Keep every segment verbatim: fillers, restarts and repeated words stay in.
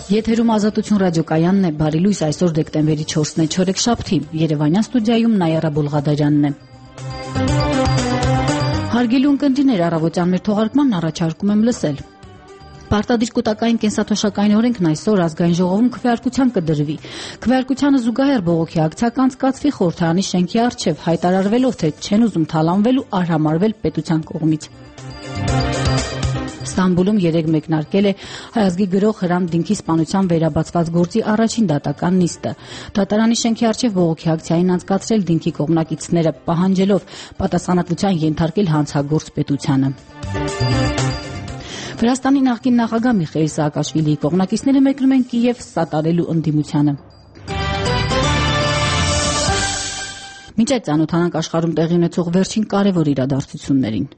Եթերում Ազատություն ռադիոկայանն է, բարի լույս, այսօր դեկտեմբերի չորսն է, չորեքշաբթի, Երևանյան ստուդիայում Նայարա Բոլղադարյանն է։ Հարգելի ունկնդիրներ, առավոտյան մեր թողարկմանն առաջարկում եմ լսել։ Պարտադիր կൂട്ടակային կենսաթոշակային օրենքն այսօր ազգային ժողովում քվեարկության կդրվի։ Քվեարկությանը զուգահեռ բողոքի ակցիա կանցկացվի խորհրդարանի շենքի առջև, հայտարարվելով, թե չեն ուզում թալանվել ու արհամարվել պետության կողմից։ Ստամբուլում երեկ մեկնարկել է Հայ ազգի գրող Հրանտ Դինքի սպանության վերաբացված գործի առաջին դատական նիստը։ Դատարանի շենքի առջև բողոքի ակցիային անցկացրել Դինքի կողմնակիցները, պահանջելով պատասխանատվության ենթարկել հանցագործ պետությանը։ Վրաստանի նախկին նախագահ Միխեիլ Սաակաշվիլիի կողմնակիցները մեկնում են Կիև սատարելու ընդդիմությանը։ Մինչ այդ ծանոթանանք աշխարհում տեղի ունեցող վերջին կարևոր իրադարձություններին։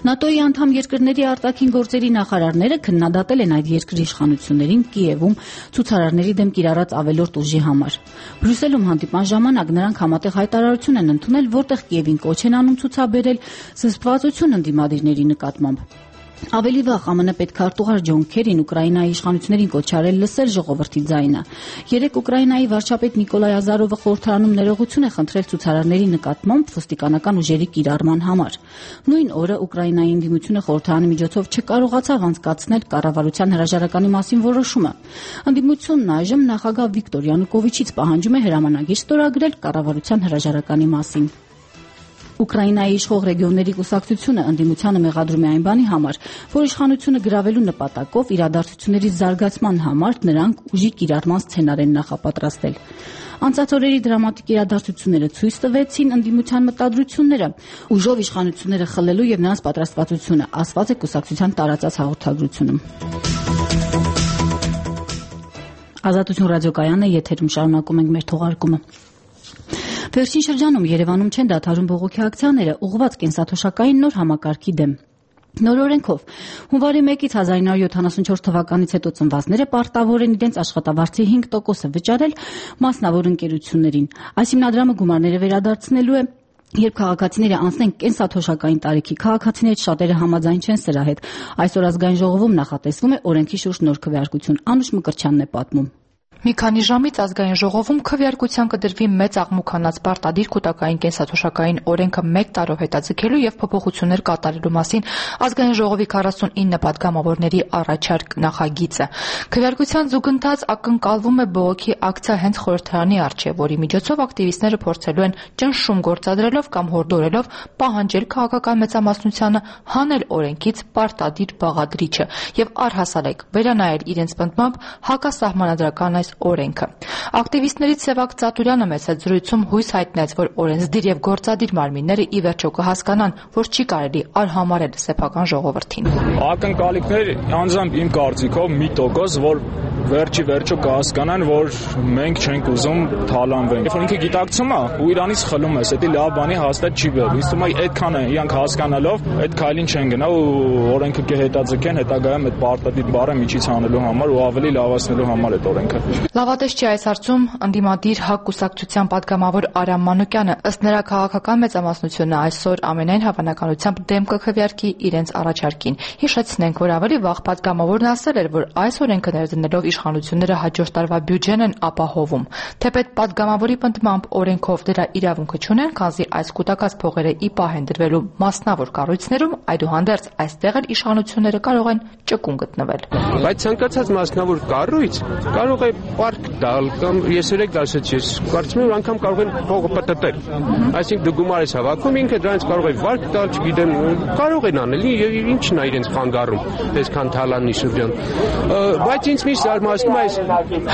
ՆԱՏՕ-ի անդամ երկրների արտաքին գործերի նախարարները քննադատել են այդ երկրի իշխանություններին Կիևում ցուցարարների դեմ կիրառած ավելորդ ուժի համար։ Բրյուսելում հանդիպման ժամանակ նրանք համատեղ հայտարարություն են ընդունել, որտեղ Կիևին կոչ են անում ցուցաբերել զսպվածություն ընդդիմադիրների նկատմամբ։ Ավելի վաղ ԱՄՆ պետքարտուղար Ջոն Քերին Ուկրաինայի իշխանություններին կոչ արել լսել ժողովրդի ձայնը։ Երեկ Ուկրաինայի վարչապետ Նիկոլայ Ազարովը խորհրդարանում ներողություն է խնդրել ցուցարարների նկատմամբ ոստիկանական ուժերի կիրառման համար։ Նույն օրը Ուկրաինայի ընդդիմությունը խորհրդարանի միջոցով չկարողացավ անցկացնել կառավարության հրաժարականի մասին որոշումը։ Ընդդիմությունն այժմ նախագահ Վիկտոր Յանուկովիչից պահանջում է հրամանագիր ստորագրել կառավարության հրաժարականի մասին։ Ուկրաինայի իշխող ռեգիոնների կուսակցությունը ընդդիմությանը մեղադրում է այն բանի համար, որ իշխանությունը գրավելու նպատակով իրադարձությունների զարգացման համար նրանք ուժի կիրառման սցենար են նախապատրաստել։ Անցած օրերի դրամատիկ իրադարձությունները ցույց տվեցին ընդդիմության մտադրությունները, ուժով իշխանությունները խլելու եւ նրանց պատրաստվածությունը, ասված է կուսակցության տարածած հաղորդագրությունում։ Ազատություն ռադիոկայանն է, եթերում շարունակում ենք մեր թողարկումը։ Վերջին շրջանում Երևանում չեն դադարում բողոքի ակցիաները ուղղված կենսաթոշակային նոր համակարգի դեմ։ Նոր օրենքով հունվարի մեկից հազար ինը հարյուր յոթանասունչորս թվականից հետո ծնվածները պարտավոր են իրենց աշխատավարձի հինգ տոկոսը վճարել մասնավոր ընկերություններին։ Այս հիմնադրամը գումարները վերադարձնելու է, երբ քաղաքացիները անցնեն կենսաթոշակային տարիքի, քաղաքացիներից շատերը համաձայն չեն սրա հետ։ Այսօր ազգային ժողովում նախատեսվում է օրենքի շուրջ նոր քվեարկություն։ Անուշ Մկրտչյանն է պատմում։ Մի քանի ժամից ազգային ժողովում քվեարկության կդրվի մեծ աղմուկանաց պարտադիր կൂട്ടակային կենսաթոշակային օրենքը մեկ տարով հետաձգելու եւ փոփոխություններ կատարելու մասին ազգային ժողովի քառասունինը պատգամավորների առաջարկ նախագիծը։ Քվեարկության զուգընթաց ակնկալվում է բողոքի ակցիա հենց խորհրդարանի առջև, որի միջոցով ակտիվիստները փորձելու են ճնշում գործադրելով կամ հորդորելով պահանջել քաղաքական մեծամասնությանը հանել օրենքից պարտադիր բաղադրիչը եւ առհասարակ վերանայել իրենց պնդմամբ հակասահմանադրական այս օրենքը։ Ակտիվիստներից Սևակ Ծատուրյանը մեծ զրույցում հույս հայտնեց, որ օրենսդիր եւ գործադիր մարմինները ի վերջո կհասկանան, որ չի կարելի արհամարել սեփական ժողովրդին։ Ակնկալիքներ անձամբ իմ կարծիքով մի տոկոս, որ վերջի վերջո կհասկանան, որ մենք չենք ուզում թալանվենք։ Երբ ինքը գիտակցում է ու իրանից խլում է, դա լավ բանի հաստատ չի բերում։ Իսկ թվում է այդքան է, իրանք հասկանալով այդ քայլին չեն գնա ու օրենքը կհետաձգեն հետագայում այդ պարտադիր բառը միջից հանելու համար ու ավելի լավացնելու համար այդ օրենքը։ Լավատես չի այս հարցում ընդդիմադիր ՀԱԿ կուսակցության պատգամավոր Արամ Մանուկյանը, ըստ նրա քաղաքական մեծամասնությունը այսօր ամենայն հավանականությամբ դեմ կքվեարկի իրենց առաջարկին։ Հիշեցնենք, որ ավելի վաղ պատգամավորն ասել էր, որ այս օրենքը ներդնելով իշխանությունները հաջորդ տարվա բյուջեն են ապահովում։ Թեպետ պատգամավորի պնդմամբ օրենքով դրա իրավունքը չունեն, քանզի այս կൂട്ടակած փողերը ի պահ են դրվելու մասնավոր կառույցներում, այդուհանդերձ այստեղ էլ իշխանությունները կարող են ճկուն գտնվել։ Բայց ցանկացած մասնավոր կառույց կարող է պարկ տալ կամ ես երեք ասեցի, ես կարծում եմ անգամ կարող են փողը պատտել։ Այսինքն դու գումար ես հավաքում, ինքը դրանից կարող է վարկ տալ, չգիտեմ, կարող են անել, եւ ինչն է իրենց խանգարում, այսքան թալանի շրջան։ Բայց ինձ միշտ զարմացնում է այս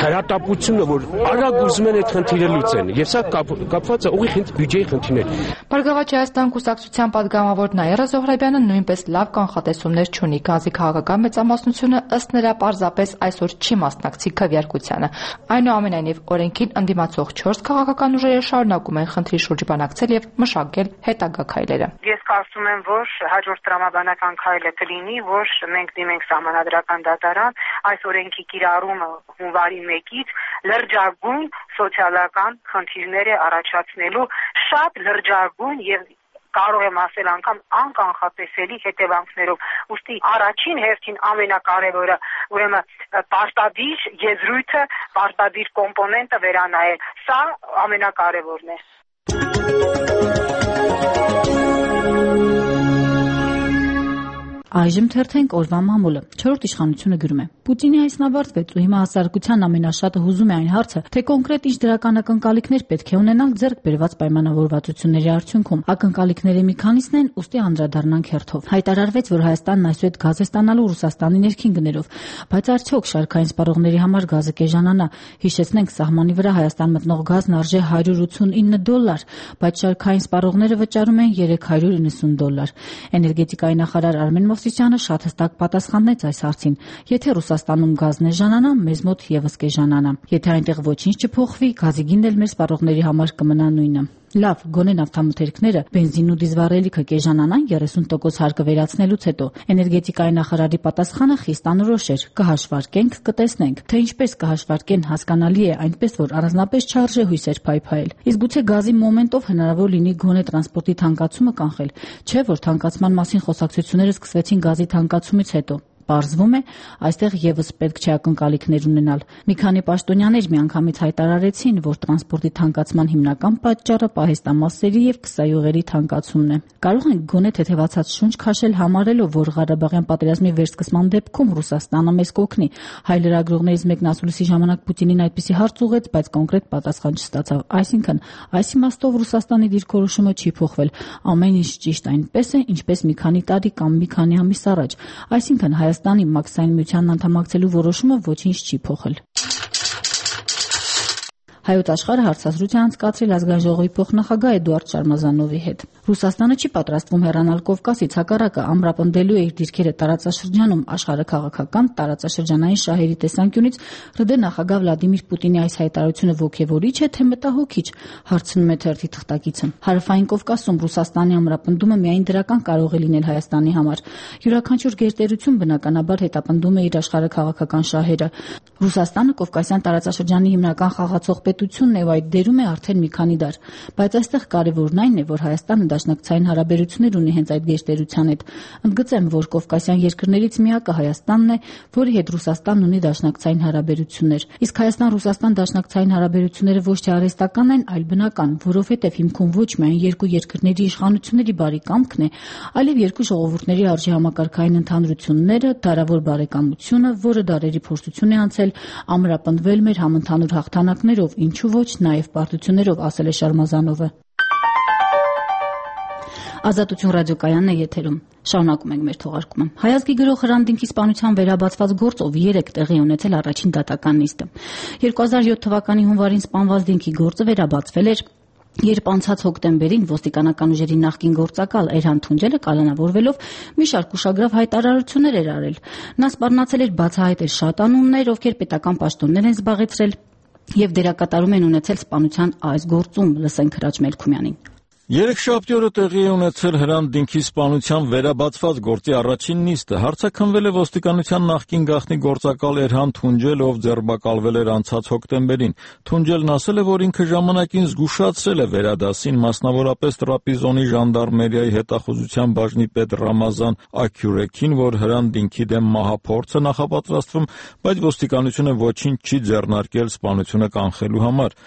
հրատապությունը, որ արագ ուզում են այդ խնդիրը լուծեն, եւ սա կապված է ուղիղ բյուջեի խնդիրներ։ Բարգավաճ Հայաստան կուսակցության պատգամավոր Նաիրա Զոհրաբյանը նույնպես լավ կանխատեսումներ չունի, քանզի քաղաքական մեծամասնությունը ըստ նրա պարզապես այսօր չի մասնակցի քվեարկությանը։ Այնուամենայնիվ օրենքին ընդդիմացող չորս քաղաքական ուժերը շարունակում են խնդրի շուրջ բանակցել եւ մշակել հետագա քայլերը։ Ես կարծում եմ, որ հաջորդ տրամաբանական քայլը կլինի, որ մենք դիմենք սահմանադրական դատարան, այս օրենքի կիրառումը հունվարի մեկից լրջագույն սոցիալական խնդիրներ է առաջացնելու, շատ լրջագույն եւ կարող եմ ասել անգամ անկանխատեսելի հետևանքներով։ Ուստի առաջին հերթին ամենակարևորը ուրեմն պարտադիր եզրույթը, պարտադիր կոմպոնենտը վերանայել։ Սա ամենակարևորն է։ Այժմ թերթենք օրվա մամուլը։ Չորրորդ իշխանությունը գրում է. Պուտինի այսն ավարտվեց ու հիմա հասարակության ամենաշատը հուզում է այն հարցը, թե կոնկրետ ինչ դրական ակնկալիքներ պետք է ունենանք ձեռք բերված պայմանավորվածությունների արդյունքում։ Ակնկալիքների մի քանիսն են, ուստի անդրադառնանք հերթով։ Հայտարարվեց, որ Հայաստանն այսուհետ գազ է ստանալու Ռուսաստանի ներքին գներով, բայց արդյոք շարքային սպառողների համար գազը կեժանանա։ Հիշեցնենք, սահմանի վրա Հայաստան մտնող գազն արժե հարյուր ութսունինը դոլար, բայց շարքային սպառողները վճարում են երեք հարյուր իննսուն դոլար։ Էներգետիկայի նախարար Արմեն Մովսիսյանը շատ հստակ պատասխանեց այս հարցին։ Եթե Ռուսաստանում գազն էժանանա, մեզ մոտ եւս կեժանանա։ Եթե այնտեղ ոչինչ չփոխվի, գազի գինն էլ մեր սպառողների համար կմնա նույնը։ Լավ, գոնե նավթամթերքները, բենզինն ու դիզվառելիքը կեժանանան երեսուն տոկոս հարկը վերացնելուց հետո։ Էներգետիկայի նախարարի պատասխանը խիստ անորոշ էր. կհաշվարկենք, կտեսնենք, թե ինչպես կհաշվարկեն, հասկանալի է, այնպես որ առանձնապես չարժե հույսեր փայփայել։ Իսկ գուցե գազի մոմենտով հնարավոր լինի գոնե տրանսպորտի թանկացումը կանխել, չէ՞ որ թանկացման մասին խոսակցությունները սկսվեցին գազի թանկացումից հետո։ Պարզվում է, այստեղ եւս պետք չէ ակնկալիքներ ունենալ։ Մի քանի պաշտոնյաներ միանգամից հայտարարեցին, որ տրանսպորտի թանկացման հիմնական պատճառը պահեստամասերի եւ քսայուղերի թանկացումն է։ Կարող ենք գոնե թեթևացած շունչ քաշել համարելով, որ Ղարաբաղյան պատերազմի վերսկսման դեպքում Ռուսաստանը մեզ կօգնի։ Հայ լրագրողներից մեկն ասուլիսի ժամանակ Պուտինին այդպիսի հարց ուղեց, բայց կոնկրետ պատասխան չստացավ։ Այսինքն, այս իմաստով Ռուսաստանի դիրքորոշումը չի փոխվել։ Ամեն ինչ ճիշտ այնպես է, ինչպես մի քանի տարի կամ մի քանի ամիս առաջ։ Այսինքն Հայաստանի մաքսային միությանն անդամակցելու որոշումը ոչինչ չի փոխել։ Հայոց աշխարհը հարցազրույց է անցկացրել ազգային ժողովի փոխնախագահ Էդուարդ Շարմազանովի հետ։ Ռուսաստանը չի պատրաստվում հեռանալ Կովկասից, հակառակը ամրապնդելու է իր դիրքերը տարածաշրջանում աշխարհաքաղաքական, տարածաշրջանային շահերի տեսանկյունից։ ՌԴ նախագահ Վլադիմիր Պուտինի այս հայտարարությունը ոգևորիչ է, թե մտահոգիչ, հարցնում է թերթի թղթակիցը։ Հարավային Կովկասում Ռուսաստանի ամրապնդումը միայն դրական կարող է լինել Հայաստանի համար։ Յուրաքանչյուր գերտերություն բնականաբար հետապնդում է իր աշխարհաքաղաքական շահերը։ Ռուսաստանը Կովկասյան տարածաշրջանի հիմնական խաղացող պետությունն է ու այդ դերում է արդեն մի քանի դար, բայց այստեղ կարևորն այն է, որ Հայաստանը դաշնակցային հարաբերություններ ունի հենց այդ գերտերության հետ։ Ընդգծեմ, որ Կովկասյան երկրներից միակը Հայաստանն է, որի հետ Ռուսաստանն ունի դաշնակցային հարաբերություններ։ Իսկ Հայաստան-Ռուսաստան դաշնակցային հարաբերությունները ոչ թե արհեստական են, այլ բնական, որովհետև հիմքում ոչ միայն երկու երկրների իշխանությունների բարի կամքն է, այլև երկու ժողովուրդների արժի համակարգային ընդհանրությունները, դարավոր բարեկամությունը, որը դարերի փորձություն է անցել ամրապնդվել մեր համընդհանուր հաղթանակներով, ինչու ոչ նաև պարտություններով, ասել է Շարմազանովը։ Ազատություն ռադիոկայանն է եթերում։ Շարունակում ենք մեր թողարկումը։ Հայազգի գրող Հրանտ Դինքի սպանության վերաբացված գործով երեք տեղի ունեցել առաջին դատական նիստը։ երկու հազար յոթ թվականի հունվարին սպանված Դինքի գործը վերաբացվել էր, երբ անցած հոկտեմբերին ոստիկանական ուժերի նախկին գործակալ Էրհան Թունջելը կալանավորվելով մի շարք ուշագրավ հայտարարություններ էր արել։ Նա սպառնացել էր բացահայտել շատ անուններ, ովքեր պետական պաշտոններ են զբաղեցրել եւ դերակատարում են ունեցել սպանության այս գործում։ Լսենք Հրաչ Մելքումյանին։ Երեքշաբթի օրը տեղի է ունեցել Հրանտ Դինքի սպանության վերաբացված գործի առաջին նիստը։ Հարցաքննվել է ոստիկանության նախկին գաղտնի գործակալ Էրհան Թունջելը, ով ձերբակալվել էր անցած հոկտեմբերին։ Թունջելն ասել է, որ ինքը ժամանակին զգուշացրել է վերադասին, մասնավորապես Տրապիզոնի ժանդարմերիայի հետախուզության բաժնի պետ Ռամազան Աքյուրեքին, որ Հրանտ Դինքի դեմ մահափորձ է նախապատրաստվում, բայց ոստիկանությունը ոչինչ չի ձեռնարկել սպանությունը կանխելու համար։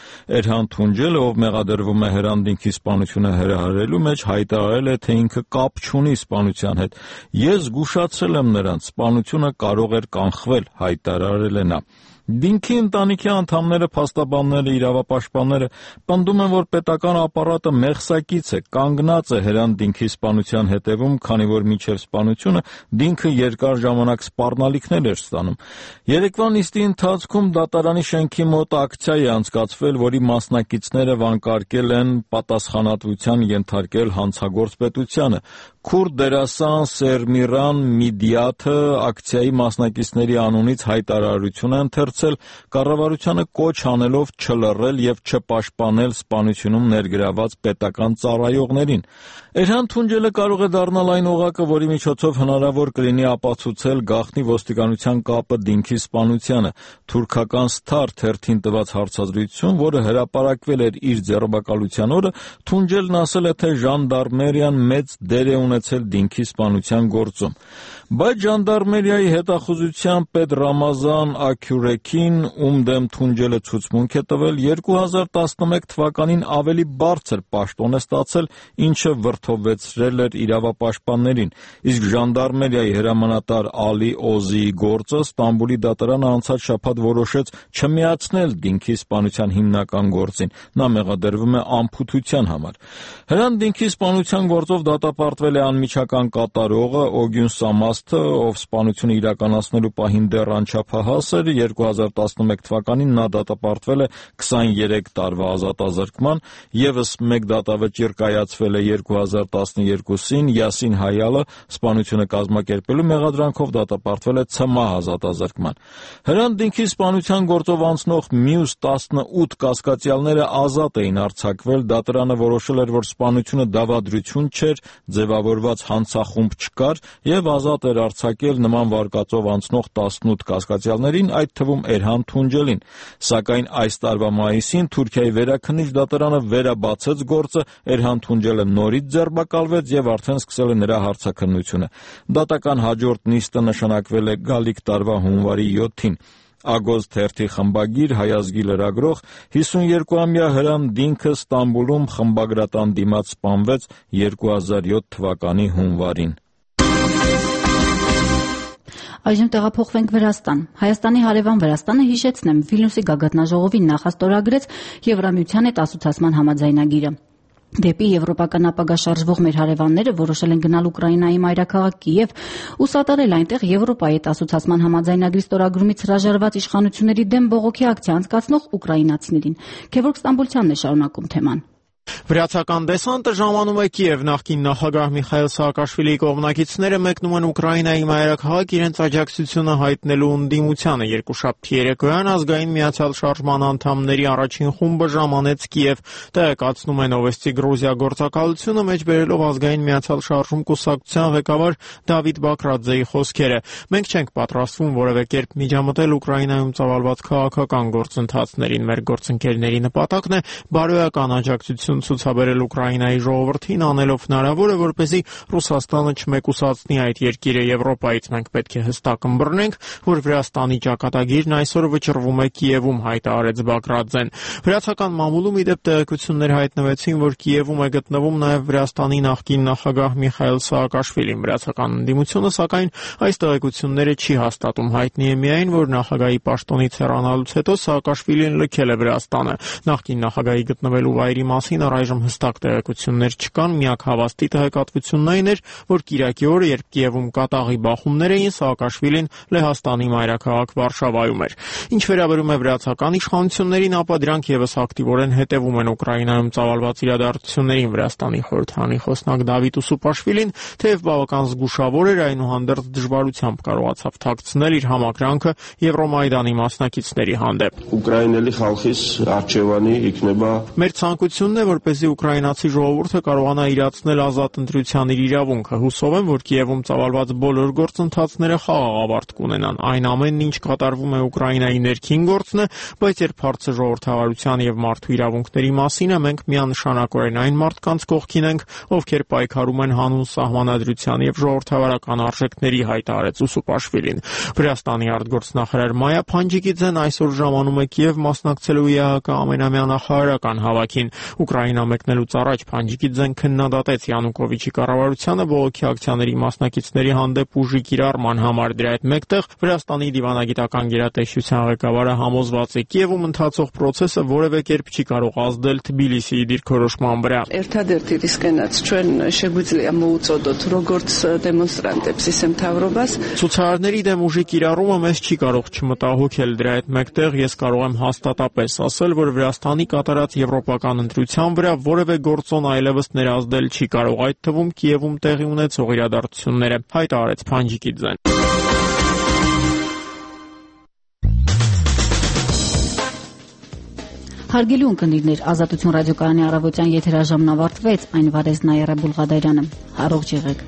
Էրհան Թունջելը, ով մեղադրվում է Հրանտ Դինքի սպանությունը հրահրելու մեջ, հայտարարել է, թե ինքը կապ չունի սպանության հետ։ Ես զգուշացրել եմ նրանց, սպանությունը կարող էր կանխվել, հայտարարել է նա։ Դինքի ընտանիքի անդամները, փաստաբանները, իրավապաշտպանները պնդում են, որ պետական ապարատը մեղսակից է, կանգնած է Հրանտ Դինքի սպանության հետևում, քանի որ մինչև սպանությունը Դինքը երկար ժամանակ սպառնալիքներ էր ստանում։ Երեկվա նիստի ընթացքում դատարանի շենքի մոտ ակցիա է անցկացվել, որի մասնակիցները վանկարկել են պատասխանատվության ենթարկել հանցագործ պետությանը։ Քուրդ դերասան Սերմիրան Միդիաթը ակցիայի մասնակիցների անունից հայտարարություն է ընթերցել, աջակցել, կառավարությանը կոչ անելով չլռել եւ չպաշտպանել սպանությունում ներգրաված պետական ծառայողներին։ Էրհան Թունջելը կարող է դառնալ այն օղակը, որի միջոցով հնարավոր կլինի ապացուցել գաղտնի ոստիկանության կապը Դինքի սպանությանը։ Թուրքական Star թերթին տված հարցազրույցում, որը հրապարակվել էր իր ձեռբակալության օրը, Թունջելն ասել է, թե ժանդարմերիան մեծ դեր է ունեցել Դինքի սպանության գործում։ Բայց ժանդարմերիայի հետախուզության պետ Ռամազան Աքյուրեքին, ում դեմ Թունջելը ցուցմունք է տվել, երկու հազար տասնմեկ թվականին ավելի բարձր պաշտոն է ստացել, ինչը վրդովվեցրել էր իրավապաշտպաններին, իսկ ժանդարմերիայի հրամանատար Ալի Օզիի գործը Ստամբուլի դատարանը անցած շաբաթ որոշեց չմիացնել Դինքի սպանության հիմնական գործին, նա մեղադրվում է անփութության համար։ Հրան Դինքի սպանության գործով դատապարտվել է անմիջական կատարողը Օգյուն Սամասթը, ով սպանությունը իրականացնելու պահին դեռ անչափահաս էր, երկու հազար տասնմեկ թվականին նա դատապարտվել է քսաներեք տարվա ազատազրկման, ևս մեկ դատավճիռ կայացվել է երկու հազար տասներկուսին, Յասին Հայալը սպանությունը կազմակերպելու մեղադրանքով դատապարտվել է ցմահ ազատազրկման։ Հրան Դինքի սպանության գործով անցնող մյուս տասնութ կասկածյալները ազատ էին արձակվել, դատարանը որոշել էր, որ սպանությունը դավադրություն չէր, ձևավորված հանցախումբ չկար եւ ազատ էր արձակել նման վարկածով անցնող տասնութ կասկածյալներին, այդ թվում Էրհան Թունջելին։ Սակայն այս տարվա մայիսին Թուրքիայի վերաքննիչ դատարանը վերաբացեց գործը, Էրհան Թունջելը նորից ձերբակալվեց եւ արդեն սկսել է նրա հարցաքննությունը։ Դատական հաջորդ նիստը նշանակվել է գալիք տարվա հունվարի յոթին։ Ագոզ թերթի խմբագիր, հայազգի լրագրող հիսուներկուամյա Հրան Դինքը Ստամբուլում խմբագրատան դիմաց սպանվեց երկու հազար յոթ թվականի հունվարին։ Այժմ տեղափոխվենք Վրաստան։ Հայաստանի հարևան Վրաստանը, հիշեցնեմ, Վիլնյուսի գագաթնաժողովին նախաստորագրեց Եվրամիության հետ ասոցիացման համաձայնագիրը։ Դեպի եվրոպական ապագա շարժվող մեր հարևանները որոշել են գնալ Ուկրաինայի մայրաքաղաք Կիև ու սատարել այնտեղ Եվրոպայի հետ ասոցիացման համաձայնագրի ստորագրումից հրաժարված իշխանությունների դեմ բողոքի ակցիա անցկացնող ուկրաինացիներին։ Գևորգ Ստամբուլցյանն է շարունակում թեման։ Վրացական դեսանտը ժամանում է Կիև, նախկին նախագահ Միխայիլ Սաակաշվիլիի կողմնակիցները մեկնում են Ուկրաինայի մայրաքաղաք իրենց աջակցությունը հայտնելու ընդդիմությանը։ Երկուշաբթի երեկոյան ազգային միացյալ շարժման անդամների առաջին խումբը ժամանեց Կիև, տեղեկացնում է Նովոստի Գրուզիա գործակալությունը, մեջբերելով ազգային միացյալ շարժում կուսակցության ղեկավար Դավիթ Բակրաձեի խոսքերը։ Մենք չենք պատրաստվում որևէ կերպ միջամտել Ուկրաինայում ծավալված քաղաքական գործընթացներին։ Մեր գործընկերների նպատակն է բարոյական աջակցություն ցուցաբերել Ուկրաինայի ժողովրդին, անելով հնարավորը, որպեսզի Ռուսաստանը չմեկուսացնի այդ երկիրը Եվրոպայից։ Մենք պետք է հստակ ըմբռնենք, որ Վրաստանի ճակատագիրն այսօր վճռվում է Կիևում, հայտարարեց Բակրաձեն։ Վրացական մամուլում ի դեպ տեղեկություններ հայտնվեցին, որ Կիևում է գտնվում նաև Վրաստանի նախկին նախագահ Միխայիլ Սաակաշվիլին։ Վրացական ընդդիմությունը, սակայն, այս տեղեկությունները չի հաստատում։ Հայտնի է միայն, որ նախագահի պաշտոնից հեռանալուց հետո Սաակաշվիլին լքել է Վրաստանը։ Նախկին նախագահի գտնվելու վայրի մասին առայժմ հստակ տեղեկություններ չկան, միակ հավաստի տեղեկատվությունն այն էր, որ կիրակի օրը, երբ Կիևում կատաղի բախումներ էին, Սաակաշվիլին Լեհաստանի մայրաքաղաք Վարշավայում էր։ Ինչ վերաբերում է վրացական իշխանություններին, ապա դրանք եւս ակտիվորեն հետևում են Ուկրաինայում ծավալված իրադարձություններին։ Վրաստանի խորհրդարանի խոսնակ Դավիթ Ուսուպաշվիլին, թեև բավական զգուշավոր էր, այնուհանդերձ դժվարությամբ կարողացավ թաքցնել իր համակրանքը Եվրոմայդանի մասնակիցների հանդեպ։ Ուկրաինելի խալխիս արջևանի իքնեբա Մեր ցանկությունն է, որպեսզի ուկրաինացի ժողովուրդը կարողանա իրացնել ազատ ընտրության իր իրավունքը։ Հուսով եմ, որ Կիևում ծավալված բոլոր գործընթացները խաղաղ ավարտ կունենան։ Այն ամենն, ինչ կատարվում է Ուկրաինայի ներքին գործն է, բայց երբ հարցը ժողովրդավարության եւ մարդու իրավունքների մասին է, մենք միանշանակորեն այն մարդկանց կողքին ենք, ովքեր պայքարում են հանուն սահմանադրության եւ ժողովրդավարական արժեքների, հայտարարեց Ուսուպաշվիլին։ Վրաստանի արտգործնախարար Մայա Փանջիկիձեն այսօր ժամանում է Կիև մասնակցելու ԵԱՀԿ ամենամյա նախարարական հավաքին։ Ուկրաինա մեկնելուց առաջ Փանջիկիձեն քննադատեց Յանուկովիչի կառավարությանը բողոքի ակցիաների մասնակիցների հանդեպ ուժի կիրառման համար։ Դրա հետ մեկտեղ Վրաստանի դիվանագիտական գերատեսչության ղեկավարը համոզված է Կիևում ընթացող process-ը որևէ կերպ չի կարող ազդել Թբիլիսիի դիրքորոշման վրա։ Ერთადერთი რისკენაც ჩვენ შეგვიძლია მოუწოდოთ როგორც դեմոնստրանტებს ისე მთავრობას։ Ցուցարարների դեմ ուժի կիրառումը մեզ չի կարող չմտահոգել։ Դրա հետ մեկտեղ ես կարող եմ հաստատապես ասել, որ Վրաստանի կատարած եվրոպական ընտրության վրա որևէ գործոն այլևս ներազդել չի կարող, այդ թվում Կիևում տեղի ունեցող իրադարձությունները, հայտարարեց Փանջիկիձեն։ Հարգելի ունկնդիրներ, Ազատություն ռադիոկայանի առավոտյան եթերաժամն ավարտվեց, այն վարեց Նայիրա Բուլղադարյանը։ Առողջ եղեք։